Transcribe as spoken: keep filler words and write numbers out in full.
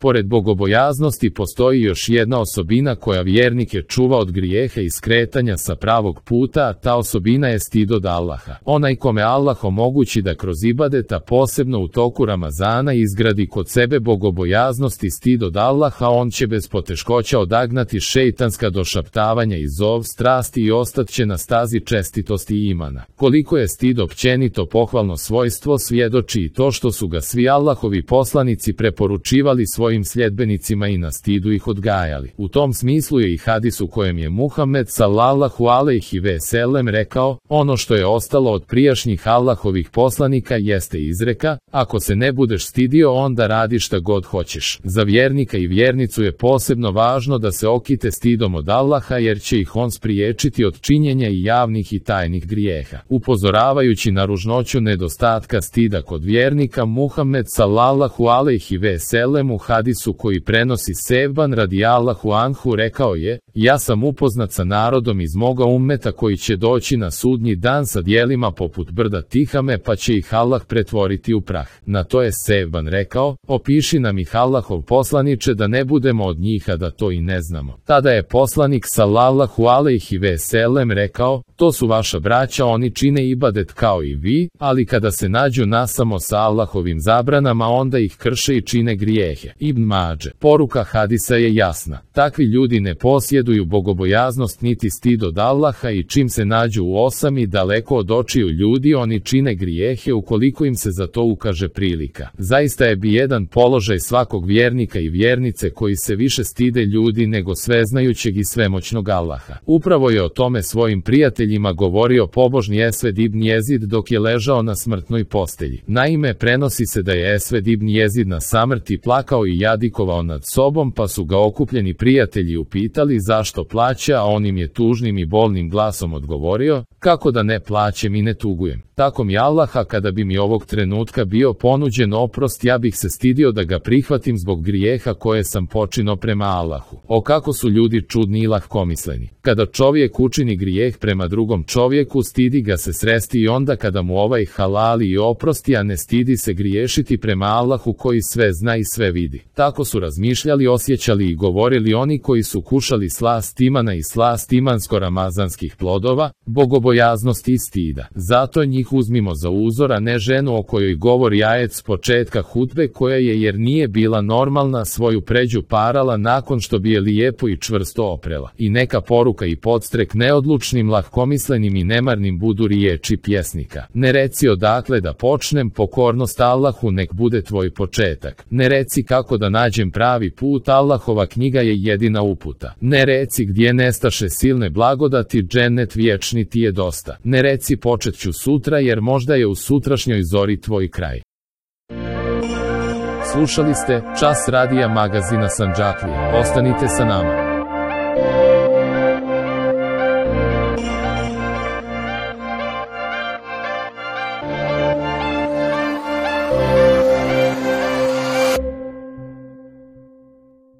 Pored bogobojaznosti postoji još jedna osobina koja vjernike čuva od grijeha i skretanja sa pravog puta, a ta osobina je stid od Allaha. Onaj kome Allah omogući da kroz ibadeta, posebno u toku Ramazana, izgradi kod sebe bogobojaznost i stid od Allaha, on će bez poteškoća odagnati šejtanska došaptavanja i zov strasti i ostat će na stazi čestitosti i imana. Koliko je stid općenito pohvalno svojstvo svjedoči i to što su ga svi Allahovi poslanici preporučivali svojim sljedbenicima i na stidu ih odgajali. U tom smislu je i hadis u kojem je Muhammed sallallahu alejhi ve sellem rekao: ono što je ostalo od prijašnjih Allahovih poslanika jeste izreka: ako se ne budeš stidio, onda radi šta god hoćeš. Za vjernika i vjernicu je posebno važno da se okite stidom od Allaha, jer će ih on spriječiti od činjenja i javnih i tajnih grijeha. Upozoravajući na ružnoću nedostatka stida kod vjernika, Muhammed sallallahu alejhi ve sellem u hadisu koji prenosi Sevban radijallahu anhu rekao je: ja sam upoznat sa narodom iz moga ummeta koji će doći na sudnji dan sa djelima poput brda Tihame, pa će ih Allah pretvoriti u prah. Na to je Sevban rekao: opiši nam ih Allahov poslaniče da ne budemo od njih, a da to i ne znamo. Tada je poslanik sallallahu alejhi ve sellem rekao: to su vaša braća, oni čine ibadet kao i vi, ali kada se nađu nasamo sa Allahovim zabranama, onda ih krše i čine grijehe. Ibn Mađe. Poruka hadisa je jasna. Takvi ljudi ne posjeduju bogobojaznost niti stid od Allaha i čim se nađu u osami daleko od očiju ljudi, oni čine grijehe ukoliko im se za to ukaže prilika. Zaista je bijedan položaj svakog vjernika i vjernice koji se više stide ljudi nego sveznajućeg i svemoćnog Allaha. Upravo je o tome svojim prijateljima govorio pobožni Esved ibn Jezid dok je ležao na smrtnoj postelji. Naime, prenosi se da je Esved ibn Jezid na samrti plakao i jadikovao nad sobom, pa su ga okupljeni prijatelji upitali zašto plaće, a on im je tužnim i bolnim glasom odgovorio: kako da ne plaćem i ne tugujem. Tako mi Allaha, kada bi mi ovog trenutka bio ponuđen oprost, ja bih se stidio da ga prihvatim zbog grijeha koje sam počinio prema Allahu. O kako su ljudi čudni i lahkomisleni. Kada čovjek učini grijeh prema drugom čovjeku, stidi ga se sresti i onda kada mu ovaj halali i oprosti, a ne stidi se griješiti prema Allahu koji sve zna i sve vidi. Tako su razmišljali, osjećali i govorili oni koji su kušali slast imana i slast imansko-ramazanskih plodova, bogobojaznosti i stida. Zato njih uzmimo za uzor, a ne ženu o kojoj govori ajet s početka hutbe, koja je, jer nije bila normalna, svoju pređu parala nakon što bi je lijepo i čvrsto oprela. I neka poruka i podstrek neodlučnim, lahkomislenim i nemarnim budu riječi pjesnika: ne reci odakle da počnem, pokornost Allahu nek bude tvoj početak. Ne reci kako da nađem pravi put, Allahova knjiga je jedina uputa. Ne reci gdje nestaše silne blagodati, džennet vječni ti je dosta. Ne reci počet ću sutra, jer možda je u sutrašnjoj zori tvoj kraj. Slušali ste Čas radija magazina Sandžaklija. Ostanite sa nama.